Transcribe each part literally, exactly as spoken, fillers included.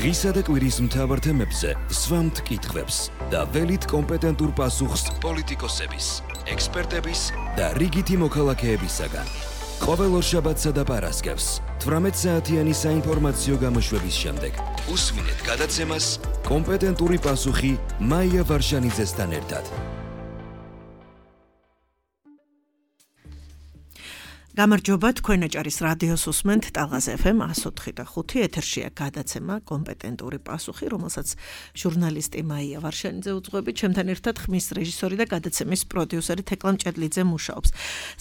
დღისა და კვირის მთავარ თემებზე სვამთ კითხვებს და ველით კომპეტენტურ პასუხს პოლიტიკოსების, ექსპერტების და რიგითი მოქალაქეებისაგან. ყოველ ორშაბათსა და პარასკევს თვრამეტ საათიანი საინფორმაციო გამოშვების შემდეგ უსმინეთ გადაცემას კომპეტენტური პასუხი მაია ვარშანიძესთან ერთად. გამარჯობა, თქვენ აჭარის რადიოს უსმენთ ტალღაზ ეფ ემ one oh four და five ეთერშია გადაცემა კომპეტენტური პასუხი, რომელსაც ჟურნალისტი მაია ვარშანიძე უძღვებით, ჩემთან ერთად ხმის რეჟისორი და გადაცემის პროდიუსერი თეკლა მჭედლიძე მუშაობს.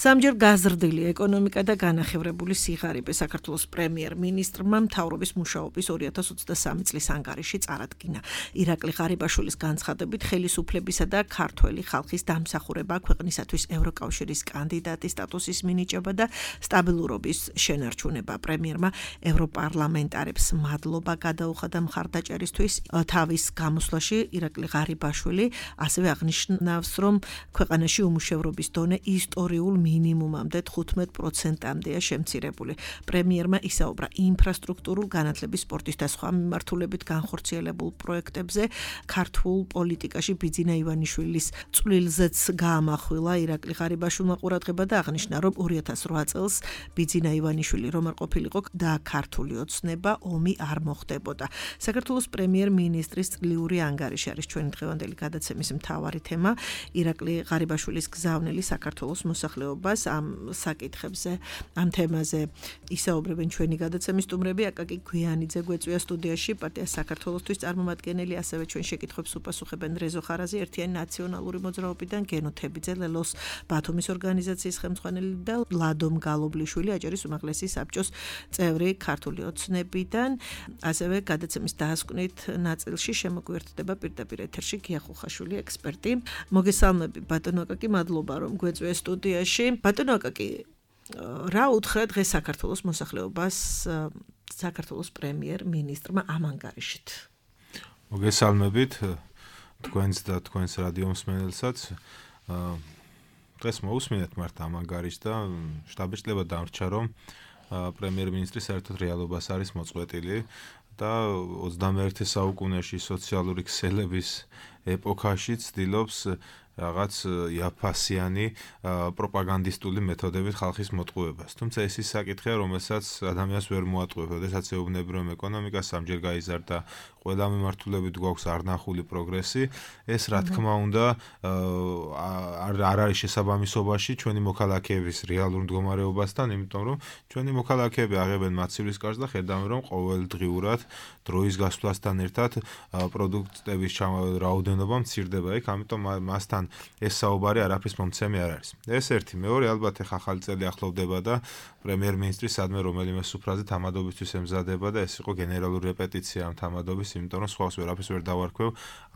სამჯერ გაზრდილი ეკონომიკა და განახევრებული სიღარიბე საქართველოს პრემიერ-მინისტრმა მთავრობის მუშაობის two thousand twenty-three წლის ანგარიში წარადგინა. ირაკლი ღარიბაშვილის განცხადებით, ხელისუფლებისა და ქართველი ხალხის დამსახურება ქვეყნისათვის ევროკავშირის კანდიდატის სტატუსის მინიჭება და სტაბილურობის შენარჩუნება. პრემიერმა ევროპარლამენტარებს მადლობა გადაუხადა მხარდაჭერისთვის. თავის გამოსვლაში ირაკლი ღარიბაშვილი ასევე აღნიშნავს, რომ ქვეყანაში უმუშევრობის დონე ისტორიულ მინიმუმამდე თხუთმეტ პროცენტამდეა შემცირებული. პრემიერმა ისაუბრა ინფრასტრუქტურულ, განათლების, სპორტის და სხვა მიმართულებით განხორციელებულ პროექტებზე. ქართულ პოლიტიკაში ბიძინა ივანიშვილის წვლილზეც გაამახვილა ირაკლი ღარიბაშვილმა ყურადღება და აღნიშნა, რომ two thousand eight წელს ბიძინა ივანიშვილი რომ არ ყოფილიყო და ქართული ოცნება ომი არ მოხდებოდა. საქართველოს პრემიერ-მინისტრის წლიური ანგარიში არის ჩვენი დღევანდელი გადაცემის მთავარი თემა. ირაკლი ღარიბაშვილის გზავნილი საქართველოს მოსახლეობას. ამ საკითხებზე, ამ თემაზე ისაუბრებენ ჩვენი გადაცემის სტუმრები. აკაკი გვიანიძე გვეწვია სტუდიაში, პარტია საქართველოსთვის წარმომადგენელი, ასევე ჩვენ შეკითხვებს უპასუხებენ რეზო ხარაზი, ერთიანი ნაციონალური მოძრაობიდან, გენო თებიძე, ლელოს ბათუმის ორგანიზაციის ხელმძღვანელი და ლადომ გალობლიშვილი, აჭარის უმაღლესი საბჭოს წევრი ქართული ოცნებიდან. ასევე გადაცემის დასკვნით ნაწილში შემოგვიერთდება პირდაპირ ეთერში გია ხუხაშვილი, ექსპერტი. მოგესალმები ბატონო აკაკი, მადლობა რომ გვეწვია სტუდიაში. ბატონო აკაკი, რა უთხრა დღეს საქართველოს მოსახლეობას საქართველოს პრემიერ-მინისტრმა ამ ანგარიშით? მოგესალმებით თქვენს და თქვენს რადიო მსმენელსაც. დღეს მოусმინეთ მართ ამ ანგარიშს და შტაბ-ბიჭდება დამრჩა, რომ პრემიერ-მინისტრი საერთოდ რეალობას არის მოწყვეტილი და ოცდამეერთე საუკუნეში სოციალური ქსელების ეპოქაში ცდილობს რაღაც იაფასიანი პროპაგანდისტული მეთოდებით ხალხის მოტყუებას. თუმცა ეს ის საკითხია, რომელსაც ადამიანს ვერ მოატყუებს, როდესაც ეუბნები, რომ ეკონომიკა სამჯერ გაიზარდა, ყველა მიმართულებით გვაქვს არნახული პროგრესი. ეს რა თქმა უნდა არ არის შესაბამისობაში ჩვენი მოქალაქეების რეალურ მდგომარეობასთან, იმიტომ რომ ჩვენი მოქალაქეები აღებენ მაცივრის კარს და ხედავენ, რომ ყოველდღიურად დროის გასვლასთან ერთად პროდუქტების რაოდენობა მცირდება იქ, ამიტომ მასთან ეს საუბარი არაფრის მომცემი არ არის. ეს ერთი, მეორე, ალბათ ახლა ახალი წელი ახლოვდება და პრემიერ-მინისტრი სადმე რომელიმე სუფრაზე თამადობისთვის ემზადება და ეს იყო გენერალური რეპეტიცია ამ თამადობის, იმიტომ რომ სხვას ვერაფერს ვერ დავარქვევ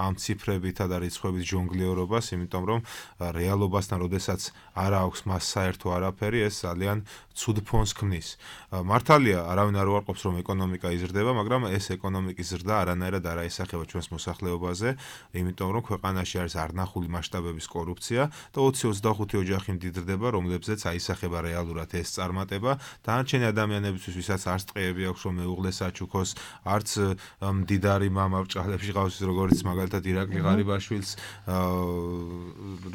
ამ ციფრებითა და რიცხვებით ჟონგლიორობას, იმიტომ რომ რეალობასთან როდესაც არ აქვს მას საერთო არაფერი, ეს ძალიან ცუდ ფონს ქმნის. მართალია, არავინ არ უარყოფს, რომ ეკონომიკა იზრდება, მაგრამ ეს ეკონომიკის ზრდა არანაირად არ აისახება ჩვენს მოსახლეობაზე, იმიტომ რომ ქვეყანაში არის არნახული მასშტაბების კორუფცია და ოცი ოცდახუთი ოჯახი მდიდრდება, რომლებზეც აისახება რეალურად ეს წარმატება. დანარჩენი ადამიანებისთვის, ვისაც არც ტყეები აქვს, რომ მეუღლეს აჩუქოს, არც მდიდარი მამა ბრჭყალებში ყავს, როგორც მაგალითად ირაკლი ღარიბაშვილს,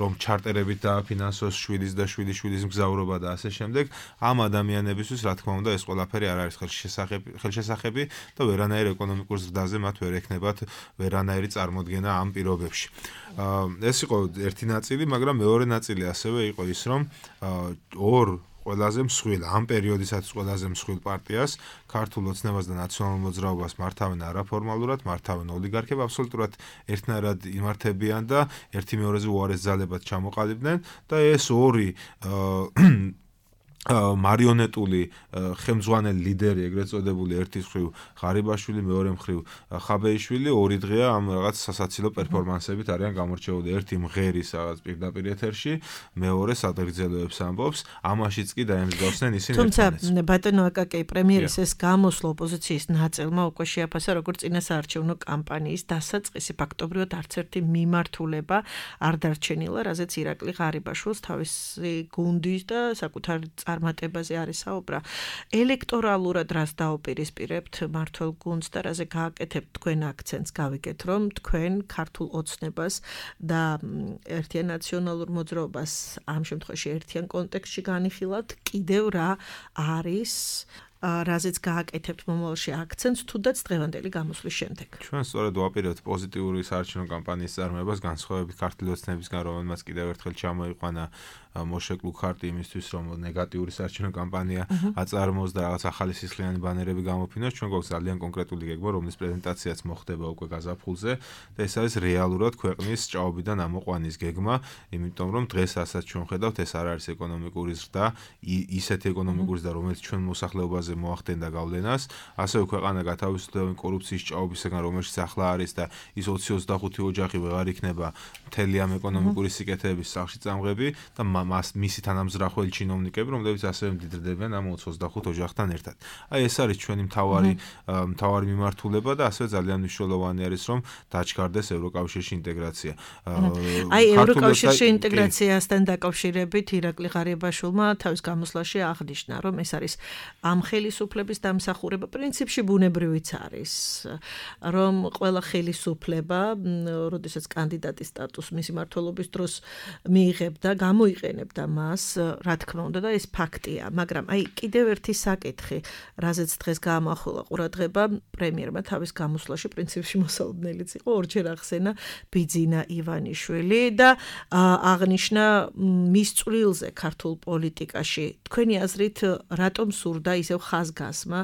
რომ ჩარტერებით დააფინანსოს შვილის და შვილიშვილის მგზავრობა და ასე შემდეგ. ამ ადამიანებისთვის, რა თქმა უნდა, ეს ყველაფერი არ არის ხელშესახები და ვერანაირ ეკონომიკურ ზრდაზე მათ ვერ ექნებათ ვერანაირი წარმოდგენა ამ პირობებში. ეს იყო ერთი ნაწილი, მაგრამ მეორე ნაწილი ასევე იყო ის, რომ ორ ყველაზე მსხვილ, ამ პერიოდისაც ყველაზე მსხვილ პარტიას, ქართულ ოცნებას და ნაციონალურ მოძრაობას მართავენ არაფორმალურად, მართავენ ოლიგარქები, აბსოლუტურად ერთნაირად იმართებიან და ერთი მეორეზე უარეს ძალებად ჩამოყალიბდნენ და ეს ორი მარიონეტული ხელმძღვანელი ლიდერი, ეგრეთ წოდებული, ერთის მხრივ ღარიბაშვილი, მეორე მხრივ ხაბეიშვილი, ორი დღეა ამ რაღაც სასაცილო პერფორმანსებით არიან გამორჩეული. ერთი მღერის რაღაც პირდაპირ ეთერში, მეორე სადღეგრძელოებს ამბობს, ამაშიც კი დაემსგავსნენ ისინი. თუმცა ბატონო აკაკი, პრემიერის ეს გამოსვლა ოპოზიციის ნაწილმა უკვე შეაფასა როგორც წინასაარჩევნო კამპანიის დასაწყისი, ფაქტობრივად არც ერთი მიმართულება არ დარჩენილა, რაზეც ირაკლი ღარიბაშვილს თავისი გუნდის და საკუთარი წარმატებაზე არის საუბra. ელექტორალურად რას დაუპირისპირებთ მართველ გუნდს და რაზე გააკეთებთ თქვენ აქცენტს გავიგეთ, რომ თქვენ ქართულ ოცნებას და ერთიან ნაციონალურ მოძრაობას ამ შემთხვევაში ერთიან კონტექსტში განიხილავთ, კიდევ რა არის რაზეც გააკეთებთ მომავალში აქცენტს თუდაც დღევანდელი გამოსვლის შემდეგ. ჩვენ სწორედ ვაპირებთ პოზიტიური საარჩევნო კამპანიის წარმოებას განსხვავებით ქართული ოცნებისგან, რომელმაც კიდევ ერთხელ ჩამოიყვანა მოშეკლუ ქარტი იმისთვის, რომ ნეგატიური საარჩევნო კამპანია აწარმოოს და რაღაც ახალი სისხლიანი ბანერები გამოფინოს. ჩვენ გვაქვს ძალიან კონკრეტული გეგმა, რომლის პრეზენტაციაც მოხდება უკვე გაზაფხულზე და ეს არის რეალურად ქვეყნის ჭაობიდან ამოყვანის გეგმა, იმიტომ რომ დღეს ასაც ჩვენ ხედავთ, ეს არ არის ეკონომიკური ზრდა, ისეთი ეკონომიკური ზრდა, რომელიც ჩვენ მოსახლეობაზე მოახდენდა გავლენას, ასევე ქვეყანა გათავისუფლდა კორუფციის ჭაობისგან, რომელშიც ახლა არის და ის ოცი ოცდახუთი ოჯახი ვეღარ იქნება მთელი ამ ეკონომიკური სიკეთეების სახლში წამღები და მას მისი თანამზრახველი ჩინოვნიკები, რომლებიც ასევე მდიდრდებიან ამ ოცი ოცდახუთ ოჯახთან ერთად. აი ეს არის ჩვენი მთავარი მთავარი მიმართულება და ასევე ძალიან მნიშვნელოვანი არის, რომ დაჩქარდეს ევროკავშირში ინტეგრაცია. აი ევროკავშირში ინტეგრაციასთან დაკავშირებით ირაკლი ღარიბაშვილმა თავის გამოსვლაში აღნიშნა, რომ ეს არის ამ ხელისუფლების დამსახურება პრინციპში ბუნებრივიც არის, რომ ყველა ხელისუფლება, როდესაც კანდიდატის სტატუსს მისი მმართველობის დროს მიიღებდა, გამოიყენებდა მას, რა თქმა უნდა და ეს ფაქტია, მაგრამ აი კიდევ ერთი საკითხი, რაზეც დღეს გაამახვილა ყურადღება პრემიერმა თავის გამოსვლაში პრინციპში მოსალოდნელიც იყო, ორჯერ ახსენა ბიძინა ივანიშვილი და აღნიშნა მის წვლილზე ქართულ პოლიტიკაში. თქვენი აზრით, რატომ სურდა ისევ ხაზგასმა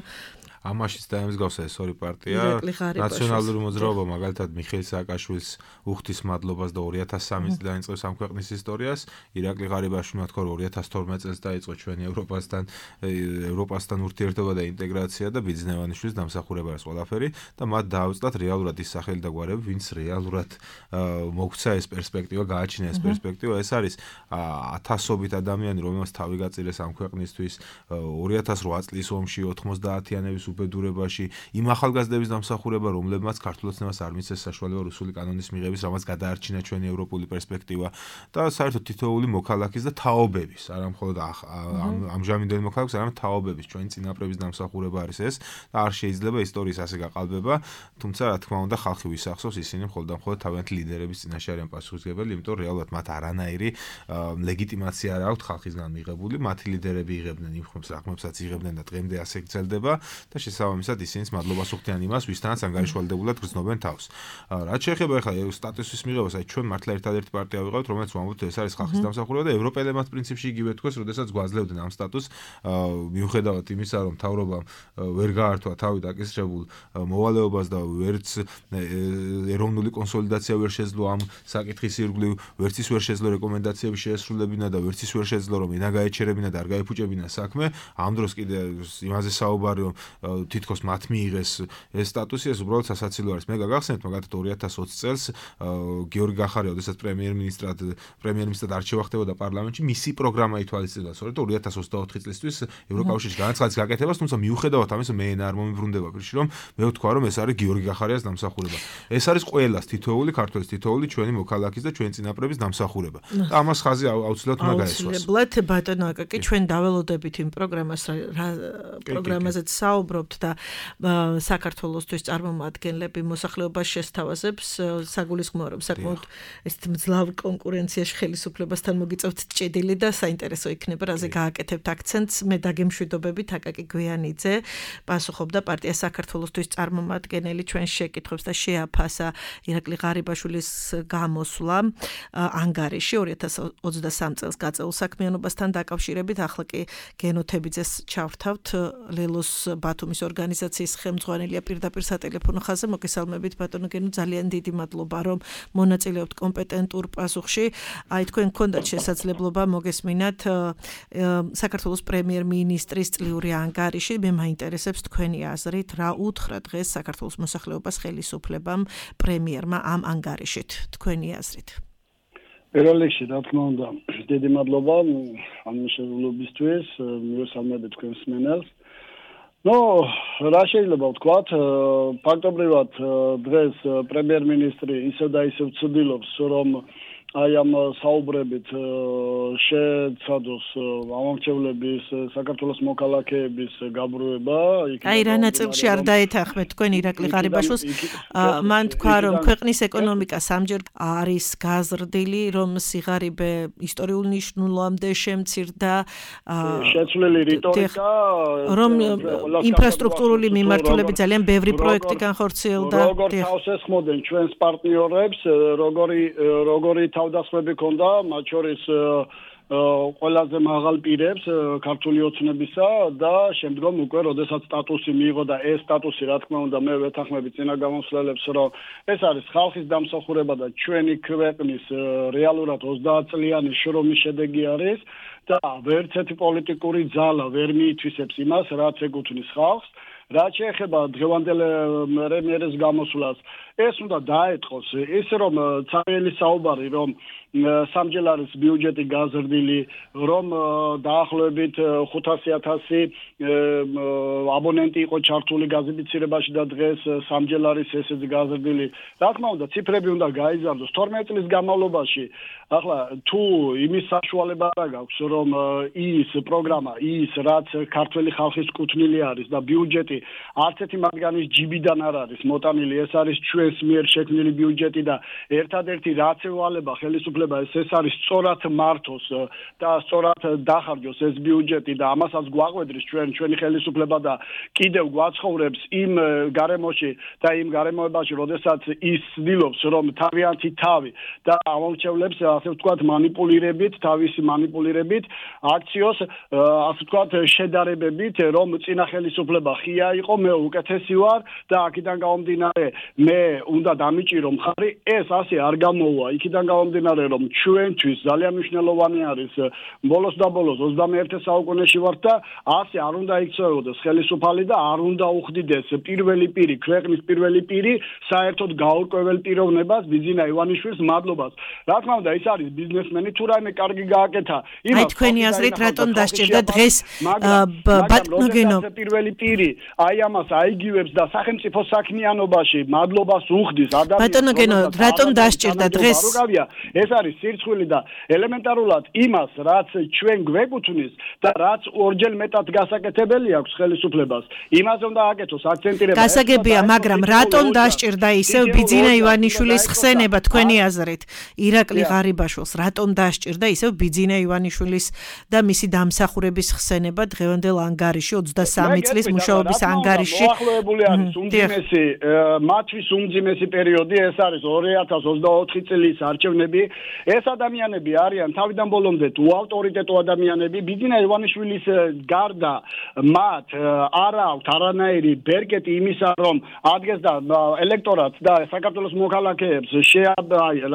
ამაშიც დაემსგავსა ეს ორი პარტია. ნაციონალური მოძრაობა მაგალითად მიხეილ სააკაშვილის უხდის მადლობას და ორი ათას სამი წელს დაიწყებს ამ ქვეყნის ისტორიას. ირაკლი ღარიბაშვილმა თქვა რომ ორი ათას თორმეტ წელს დაიწყო ჩვენი ევროპასთან ევროპასთან ურთიერთობა და ინტეგრაცია და ბიძინა ივანიშვილის დამსახურება არის ყველაფერი და მათ დაავწათ რეალურად ის სახელი და გვარები, ვინც რეალურად მოგვცა ეს პერსპექტივა, გააჩინა ეს პერსპექტივა. ეს არის ათასობით ადამიანი, რომელმაც თავი გაწირეს ამ ქვეყნისთვის ორი ათას რვა წლის ომში ოთხმოცდაათიანების უბედურებაში, იმ ახალგაზრდების დამსახურება, რომლებმაც ქართულ ოცნებას არ მისცეს საშუალება რუსული კანონის მიღების, რამაც გადაარჩინა ჩვენი ევროპული პერსპექტივა და საერთოდ თითოეული მოქალაქის და თაობების, არა მხოლოდ ამჟამინდელი მოქალაქის, არამედ თაობების ჩვენი წინაპრების დამსახურება არის ეს და არ შეიძლება ისტორიის ასე გაყალბება, თუმცა რა თქმა უნდა ხალხი ვისახსოვს, ისინი მხოლოდ და მხოლოდ თავიანთი ლიდერების წინაშე არიან პასუხისმგებელი, იმიტომ რომ რეალურად მათ არანაირი ლეგიტიმაცია არ აქვთ ხალხისგან მიღებული, მათი ლიდერები იღებდნენ იმ ხმებს, რახმებსაც იღებდნენ და დღემდე ასე გრძელდება. და შესაბამისად ისინიც მადლობას უხდიან იმას, ვისთანაც ანგარიშვალდებულად გრძნობენ თავს. რაც შეეხება ახლა სტატუსის მიღებას, აი ჩვენ მართლა ერთადერთი პარტია ვიყავით, რომელიც ვამბობთ, ეს არის ხალხის დამსახურება და ევროპელებმაც პრინციპში იგივე თქვეს, როდესაც გვაძლევდნენ ამ სტატუსს, მიუხედავად იმისა, რომ მთავრობამ ვერ გაართვა თავი დაკისრებულ მოვალეობას და ვერც ეროვნული კონსოლიდაცია ვერ შეძლო ამ საკითხის ირგვლივ, ვერც ის ვერ შეძლო რეკომენდაციების შეესრულებინა და ვერც ის ვერ შეძლო რომ ენა გაეჩერებინა და არ გაიფუჭებინა საქმე, ამ დროს კიდე იმაზე საუბარი რომ თითქოს მათ მიიღეს ეს სტატუსი, ეს უბრალოდ სასაცილო არის. მე გაგახსენებთ მაგალითად ორი ათას ოცი წელს გიორგი გახარია, როდესაც პრემიერ-მინისტრად პრემიერ-მინისტრად არჩევა ხდებოდა პარლამენტში, მისი პროგრამა ითვალისწინებდა, სწორედ ორი ათას ოცდაოთხი წლისთვის ევროკავშირში განაცხადის გაკეთებას, თუმცა მიუხედავად ამისა მე ენა არ მომიბრუნდება პირში, რომ მე ვთქვა, რომ ეს არის გიორგი გახარიას დამსახურება. ეს არის ყველას თითოეული ქართველის, თითოეული ჩვენი მოქალაქის და ჩვენი წინაპრების დამსახურება. და ამას ხაზი აუცილებლად უნდა გაესვას. აუცილებლად ბატონო აკაკი, ჩვენ დაველოდებით იმ პროგრამას, პროგრამაზეც საუბრობთ და საქართველოსთვის წარმომადგენლები მოსახლეობას შესთავაზებს, საგულისხმოა რომ საკმაოდ ესეთ მძლავრ კონკურენციაში ხელისუფლებასთან მოგიწევთ ჭედილი და საინტერესო იქნება რაზე გააკეთებთ აქცენტს. მე დაგემშვიდობებით აკაკი გვიანიძე, პასუხობდა პარტია საქართველოსთვის წარმომადგენელი ჩვენს შეკითხვებს და შეაფასა ირაკლი ღარიბაშვილის გამოსვლა ანგარიში ორი ათას ოცდასამი წელს გაწეულ საქმიანობასთან დაკავშირებით. ახლა კი გენოთებიძეს ჩავრთავთ, ლელოს ბათუმის ორგანიზაციის ხელმძღვანელია პირდაპირ სატელეფონო ხაზზე. მოგესალმებით ბატონო გენო, ძალიან დიდი მადლობა რომ მონაწილეობთ კომპეტენტურ პასუხში. აი თქვენ გქონდათ შესაძლებლობა მოგესმინათ საქართველოს პრემიერ-მინისტრის წლიური ანგარიში. მე მაინტერესებს თქვენი აზრით, რა უთხრა დღეს საქართველოს მოსახლეობას ხელისუფლებამ პრემიერმა ამ ანგარიშით, თქვენი აზრით. პირველ რიგში, რა თქმა უნდა, დიდი მადლობა ამ შეძლობისთვის, მივესალმებით თქვენს მსმენელს. ნუ, რა შეიძლება ვთქვათ, ფაქტობრივად დღეს პრემიერ-მინისტრი ისევ და ისევ ცდილობს, რომ აი ამ საუბრებით შეცადოს ამომრჩევლების საქართველოს მოქალაქეების გაბრუება. აი რა ნაწილში არ დაეთანხმეთ თქვენ ირაკლი ღარიბაშვილს. მან თქვა რომ ქვეყნის ეკონომიკა სამჯერ არის გაზრდილი, რომ სიღარიბე ისტორიულ ნიშნულობამდე შემცირდა. შეცვლილი რიტორიკა, რომ ინფრასტრუქტურული მიმართულებით ძალიან ბევრი პროექტი განხორციელდა. როგორ თავს ესხმოდნენ ჩვენს პარტნიორებს, როგორი როგორი თავდასხმები ქონდა, მათ შორის ყველაზე მაღალ პირებს ქართული ოცნებისა და შემდგომ უკვე როდესაც სტატუსი მიიღო და ეს სტატუსი რა თქმა უნდა მე ვეთანხმები წინა გამოსვლელებს რომ ეს არის ხალხის დამსახურება და ჩვენი ქვეყნის რეალურად ოცდაათ წლიანი შრომის შედეგი არის და ვერც ერთი პოლიტიკური ძალა ვერ მიითვისებს იმას რაც ეკუთვნის ხალხს რაც შეეხება დღევანდელ რემიერის გამოსვლას ეს უნდა დაეთყოს ის რომ ცარიელი საუბარი რომ სამჯერ არის ბიუჯეტი გაზრდილი რომ დაახლოებით ხუთასი ათასი აბონენტი იყო ჩართული გაზიფიცირებაში და დღეს სამჯერ არის ესეც გაზრდილი რა თქმა უნდა ციფრები უნდა გაიზარდოს თორმეტ წლის განმავლობაში ახლა თუ იმის საშუალება არ გაქვს რომ ის პროგრამა ის რაც ქართველი ხალხის კუთვნილი არის და ბიუჯეტი არც ერთი მათგანის ჯიბიდან არ არის მოტანილი ეს არის ჩვენს მიერ შექმნილი ბიუჯეტი და ერთადერთი რაც ევალება ხელისუფლება ეს ეს არის სწორად მართოს და სწორად დახარჯოს ეს ბიუჯეტი და ამასაც გვაყვედრის ჩვენ ჩვენი ხელისუფლება და კიდევ გვაცხოვრებს იმ გარემოში და იმ გარემოებაში როდესაც ის ცდილობს რომ თავიანთი თავი და ამომრჩევლებს ასე ვთქვათ манипуლირებით თავისი манипуლირებით აქციოს ასე ვთქვათ შედარებებით რომ წინა ხელისუფლება ხია იყო მე უკეთესი ვარ და აქედან გამომდინარე მე უნდა დამიჭირო მხარი ეს ასე არ გამოვა იქიდან გამომდინარე რომ ჩვენთვის ძალიან მნიშვნელოვანი არის ბოლოს და ბოლოს ოცდამეერთე საუკუნეში ვართ და ასე არ უნდა იქცეოდეს ხელისუფალი და არ უნდა უხდიდეს პირველი პირი ქვეყნის პირველი პირი საერთოდ გაურკვეველ პიროვნებას ბიძინა ივანიშვილის მადლობას რა თქმა უნდა ის არის ბიზნესმენი თუ რაიმე კარგი გააკეთა აი თქვენი აზრით რატომ დასჭირდა დღეს ბატონო გენო პირველი პირი აი ამას აიგივებს და სახელმწიფო საქმიანობაში მადლობას უხდის ადამიანს ბატონო გენო რატომ დასჭირდა დღეს ეს არის სირცხვილი და ელემენტარულად იმას რაც ჩვენ გვეკუთვნის და რაც ორჯერ მეტად გასაკეთებელი აქვს ხელისუფლებას იმაზე უნდა აკეთოს აქცენტირება გასაგებია მაგრამ რატომ დასჭირდა ისევ ბიძინა ივანიშვილის ხსენება თქვენი აზრით ირაკლი ღარიბაშვილს რატომ დასჭირდა ისევ ბიძინა ივანიშვილის და მისი დამსახურების ხსენება დღევანდელ ანგარიში ოცდასამი წლის მუშაობის ანგარიში მოახლოებული არის უმძიმესი მათთვის უმძიმესი პერიოდი ეს არის ორი ათას ოცდაოთხი წლის არჩევნები ეს ადამიანები არიან თავიდან ბოლომდე უავტორიტეტო ადამიანები ბიძინა ივანიშვილის გარდა მათ არ აქვს არანაირი ბერკეტი იმისა რომ ადგეს და ელექტორატს და საქართველოს მოქალაქეებს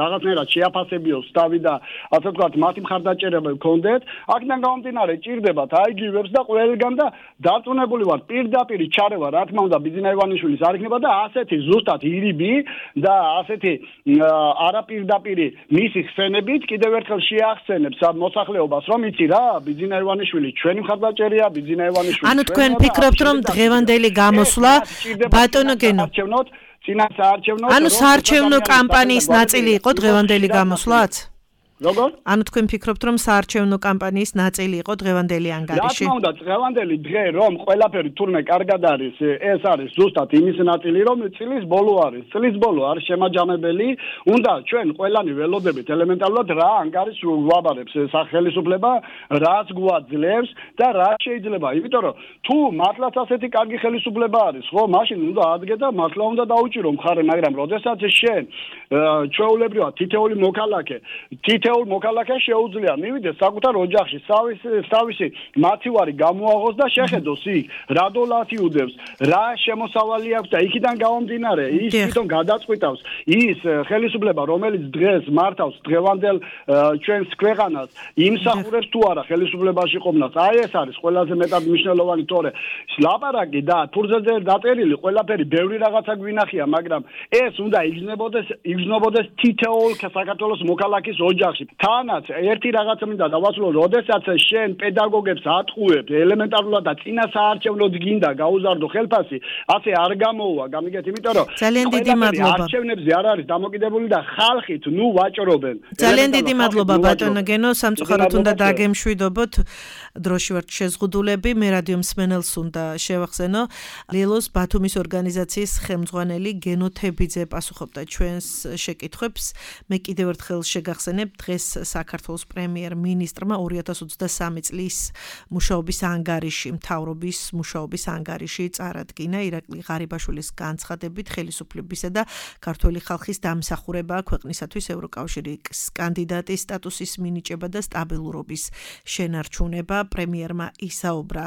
რაღაცნაირად შეაფასებიოს თავი და ასე ვთქვათ მათი მხარდაჭერა გქონდეთ აქედან გამომდინარე ჭირდებათ აიგივებს და ყველგან და დარწმუნებული ვარ პირდაპირ ჩარევა რა თქმა უნდა ბიძინა ივანიშვილის არ იქნება და ასეთი ზუსტად ირიბი და ასეთი არაპირდაპირი მისი ხსენებით კიდევ ერთხელ შეახსენებს მოსახლეობას რომ იცი რა ბიძინა ივანიშვილი ჩვენი მხარდაჭერია ბიძინა ივანიშვილი ანუ თქვენ ფიქრობთ რომ დღევანდელი გამოსვლა ბატონო გენო წინა საარჩევნო ანუ საარჩევნო კამპანიის ნაწილი იყო დღევანდელი გამოსვლაც როგორ? ანუ თქვენ ფიქრობთ რომ საარჩევნო კამპანიის ნაწილი იყო დღევანდელი ანგარიში? რა თქმა უნდა, დღევანდელი დღე რომ ყველაფერი თურმე კარგად არის, ეს არის ზუსტად იმის ნაწილი, რომ წლის ბოლო არის. წლის ბოლო არის შემაჯამებელი, უნდა ჩვენ ყველანი ველოდებით ელემენტარულად რა ანგარიშს ვაბარებს სახელმწიფო, რაც გვაძლევს და რა შეიძლება. იმიტომ რომ თუ მართლაც ასეთი კარგი ხელისუფლება არის, ხო, მაშინ უნდა ადგე და მართლა უნდა დაუჭირო მხარე, მაგრამ როდესაც შენ ჩვეულებრივად თითეული მოქალაქე, თითე მოქალაქე შეუძლია მივიდეს საკუთარ ოჯახში, თავისი მათივარი გამოაღოს და შეხედოს იქ რა დოლარი უდევს, რა შემოსავალი აქვს და იქიდან გამომდინარე ის თვითონ გადაწყვიტავს ის ხელისუფლება, რომელიც დღეს მართავს დღევანდელ ჩვენს ქვეყანას, იმსახურებს თუ არა ხელისუფლებაში ყოფნას. აი ეს არის ყველაზე მეტად მნიშვნელოვანი თორე ლაპარაკი და ფურზეზე დაწერილი ყველაფერი ბევრი რაღაცა გვინახია, მაგრამ ეს უნდა იგრძნობოდეს იგრძნობოდეს თითოეულ საქართველოს მოქალაქის ოჯახში ოჯახში. თანაც ერთი რაღაცა მინდა დავასრულო, როდესაც შენ პედაგოგებს ატყუებ ელემენტარულად და წინა საარჩევნოდ გინდა გაუზარდო ხელფასი, ასე არ გამოუვა, გამიგეთ, იმიტომ რომ ძალიან დიდი მადლობა. არჩევნებზე არ არის დამოკიდებული და ხალხით ნუ ვაჭრობენ. ძალიან დიდი მადლობა ბატონო გენო, სამწუხაროდ უნდა დაგემშვიდობოთ. დროში ვართ შეზღუდულები, მე რადიო მსმენელს უნდა შევახსენო. ლილოს ბათუმის ორგანიზაციის ხელმძღვანელი გენო თებიძე პასუხობდა ჩვენს შეკითხვებს. მე კიდევ ერთხელ შეგახსენებ, დღეს საქართველოს პრემიერ-მინისტრმა ორი ათას ოცდასამი წლის მუშაობის ანგარიში, მთავრობის მუშაობის ანგარიში წარადგინა ირაკლი ღარიბაშვილის განცხადებით ხელისუფლებისა და ქართველი ხალხის დამსახურება ქვეყნისათვის ევროკავშირის კანდიდატის სტატუსის მინიჭება და სტაბილურობის შენარჩუნება. პრემიერმა ისაუბრა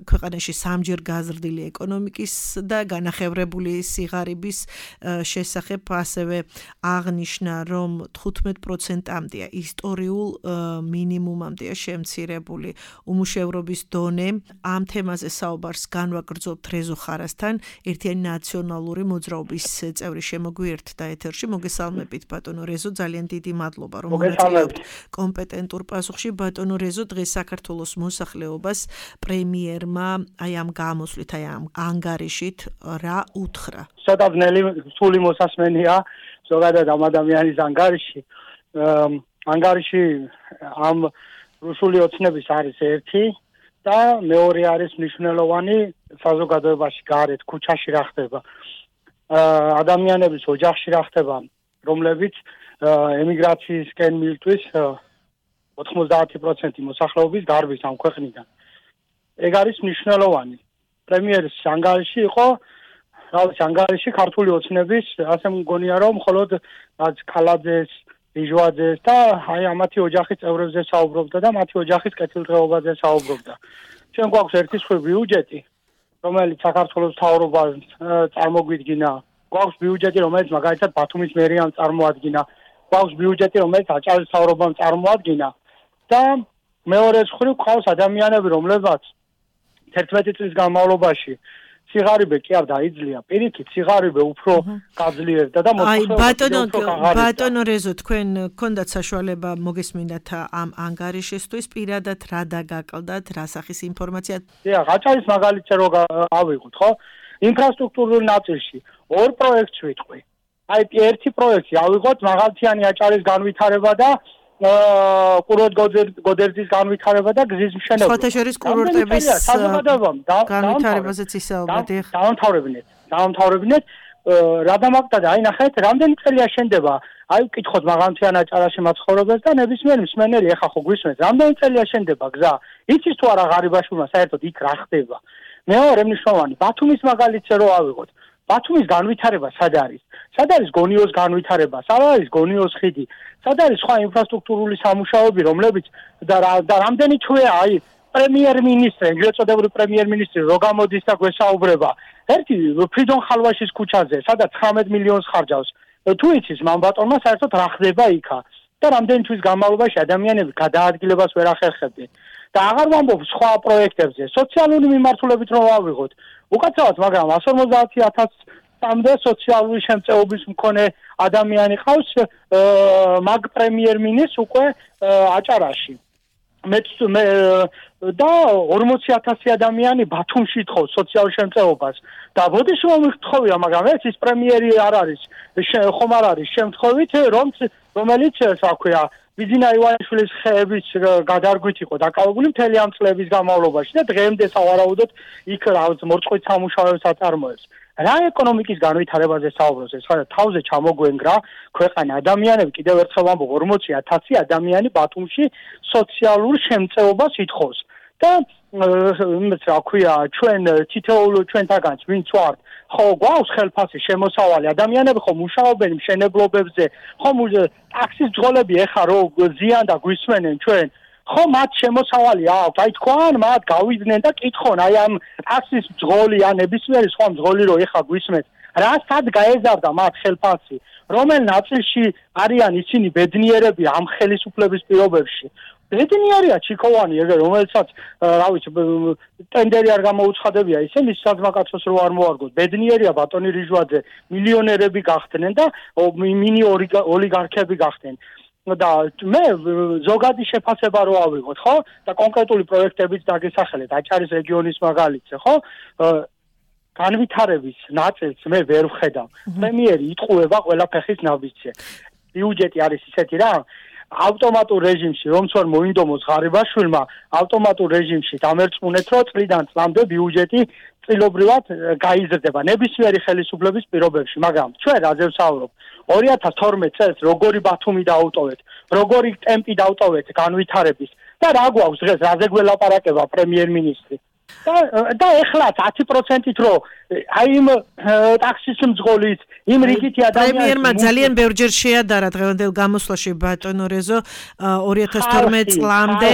ქვეყანაში სამჯერ გაზრდილი ეკონომიკის და განახევრებული სიღარიბის შესახებ, ასევე აღნიშნა, რომ თხუთმეტ პროცენტამდეა ისტორიულ მინიმუმამდეა შემცირებული უმუშევრობის დონე. ამ თემაზე საუბარს განვაგრძობთ რეზო ხარასთან, ერთიანი ნაციონალური მოძრაობის წევრი შემოგვიერთდა ეთერში. მოგესალმებით ბატონო რეზო, ძალიან დიდი მადლობა რომ მონაწილეობთ კომპეტენტურ პასუხში. ბატონო რეზო, დღეს საქართველოს მოსახლეობას პრემიერმა აი ამ გამოსვლით, აი ამ ანგარიშით რა უთხრა? შედაბნელი სული მოსასმენია ზოგადად ამ ადამიანის ანგარიში. ანგარიში ამ რუსული ოცნების არის ერთი და მეორე არის მნიშვნელოვანი საზოგადოებაში გარეთ ქუჩაში რა ხდება. ადამიანების ოჯახში რა ხდება, რომლებიც ემიგრაციისკენ მილტვის ოთხმოცდაათი პროცენტი მოსახლეობის გარბის ამ ქვეყნიდან. ეგ არის მნიშვნელოვანი. პრემიერის ანგარიში იყო, რავი, ანგარიში ქართული ოცნების, ასე მგონია რომ მხოლოდ ქალაძეს, ბიჟვაძეს და აი ამათი ოჯახის წევრებზე საუბრობდა და მათი ოჯახის კეთილდღეობაზე საუბრობდა. ჩვენ გვაქვს ერთი სხვი ბიუჯეტი, რომელიც საქართველოს მთავრობას წარმოგვიდგინა. გვაქვს ბიუჯეტი, რომელიც მაგალითად ბათუმის მერიამ წარმოადგინა. გვაქვს ბიუჯეტი, რომელიც აჭარის მთავრობამ წარმოადგინა. და მეორე მხრივ ყავს ადამიანები, რომლებსაც თერთმეტი წლის განმავლობაში სიღარიბე კი არ დაიძლია, პირიქით სიღარიბე უფრო გაძლიერდა და მოთხოვნილება. აი ბატონო ბატონო რეზო, თქვენ გქონდათ საშუალება მოგესმინათ ამ ანგარიშისთვის, პირადად რა დაგაკლდათ, რა სახის ინფორმაცია? დიახ, აჭარის მაგალითზე რო ავიღოთ, ხო? ინფრასტრუქტურულ ნაწილში ორ პროექტს ვიტყვი. აი ერთი პროექტი ავიღოთ მაღალთიანი აჭარის განვითარება და კურორტ გოდერძის განვითარება და გზის მშენებლობა. სხვათა შორის კურორტების განვითარებაზეც ისაუბრეთ. დაამთავრებინეთ, დაამთავრებინეთ. რა დამაკტა აი ნახეთ, რამდენი წელია შენდება? აი ვკითხოთ მაღალთიან აჭარაში მაცხოვრებელს და ნებისმიერ მსმენელი ეხა ხო გვისმენთ, რამდენი წელია შენდება გზა? იცის თუ არა ღარიბაშვილმა საერთოდ იქ რა ხდება? მეორე მნიშვნელოვანი, ბათუმის მაგალითზე რო ავიღოთ. ბათუმის განვითარება სად არის? სად არის გონიოს განვითარება? სად არის გონიოს ხიდი? სად არის სხვა ინფრასტრუქტურული სამუშაოები, რომლებიც და რამდენი თვეა აი პრემიერ-მინისტრი, ეგრეთ წოდებული პრემიერ-მინისტრი რო გამოდის და გვესაუბრება. ერთი ფრიდონ ხალვაშის ქუჩაზე, სადაც ცხრამეტ მილიონს ხარჯავს. თუ იცის მან ბატონმა საერთოდ რა ხდება იქა და რამდენი თვის განმავლობაში ადამიანები გადაადგილებას ვერ ახერხებდნენ. და აღარ ვამბობ სხვა პროექტებზე, სოციალური მიმართულებით რომ ავიღოთ. უკაცრავად, მაგრამ εκατს ორმოცდაათი ათასამდე სოციალური შემწეობის მქონე ადამიანი ყავს მაგ პრემიერ-მინისტრს უკვე აჭარაში. მე და ორმოცი ათასი ადამიანი ბათუმში თხოვს სოციალურ შემწეობას და ბოდიში მომიხთხოვია, მაგრამ ეს ის პრემიერი არ არის, ხომ არ არის შემთხვევით, რომ რომელიც რა ქვია ბიძინა ივანიშვილის ხეების გადარგვით იყო დაკავებული მთელი ამ წლების განმავლობაში და დღემდე სავარაუდოდ იქ რაღაც მორწყვით სამუშაოებს აწარმოებს. რა ეკონომიკის განვითარებაზე საუბრობს ეს? ხა თავზე ჩამოგვენგრა ქვეყანა, ადამიანები კიდევ ერთხელ ვამბობ, ორმოცი ათასი ადამიანი ბათუმში სოციალურ შემწეობას ითხოვს. და იმეც რა ქვია, ჩვენ თითოეულ ჩვენთაგანს ვინც ვართ, ხო გვაქვს ხელფასი შემოსავალი, ადამიანები ხო მუშაობენ მშენებლობებზე, ხო ტაქსის ძღოლები ეხა რო ზიან და გვისმენენ ჩვენ, ხო მათ შემოსავალი აქვს, აი თქვენ მათ გავიდნენ და კითხონ, აი ამ ტაქსის ძღოლი ან ნებისმიერი სხვა ძღოლი რო ეხა გვისმენთ, რა სად გაეზარდა მათ ხელფასი, რომელ ნაწილში არიან ისინი ბედნიერები ამ ხელისუფლების პირობებში. ბედნიერია ჩიქოვანი, ეგ რომელსაც რა ვიცი ტენდერი არ გამოუცხადებია, ისე მის საძმაკაცოს რო არ მოარგოთ. ბედნიერია ბატონი რიჟვაძე, მილიონერები გახდნენ და მინი ოლიგარქები გახდნენ. და მე ზოგადი შეფასება რო ავიღოთ, ხო? და კონკრეტული პროექტებიც დაგესახელეთ, აჭარის რეგიონის მაგალითზე, ხო? განვითარების ნაწილს მე ვერ ვხედავ. პრემიერი იტყუება ყველა ფეხის ნაბიჯზე. ბიუჯეტი არის ისეთი რა, ავტომატურ რეჟიმში, რომც არ მოინდომოს ღარიბაშვილმა, ავტომატურ რეჟიმში დამერწმუნეთ, რომ წლიდან წლამდე ბიუჯეტი წილობრივად გაიზრდება ნებისმიერი ხელისუფლების პირობებში, მაგრამ ჩვენ რაზე ვსაუბრობ? ორი ათას თორმეტ წელს როგორი ბათუმი დაავტოვეთ, როგორი ტემპი დაავტოვეთ განვითარების და რა გვაქვს დღეს, რაზე გველაპარაკება პრემიერ-მინისტრი? და და ეხლა ათი პროცენტით რო აი იმ ტაქსის მძღოლით იმ რიგითი ადამიანები პრემიერმა ძალიან ბევრჯერ შეადარა დღევანდელ გამოსვლაში ბატონო რეზო ორი ათას თორმეტ წლამდე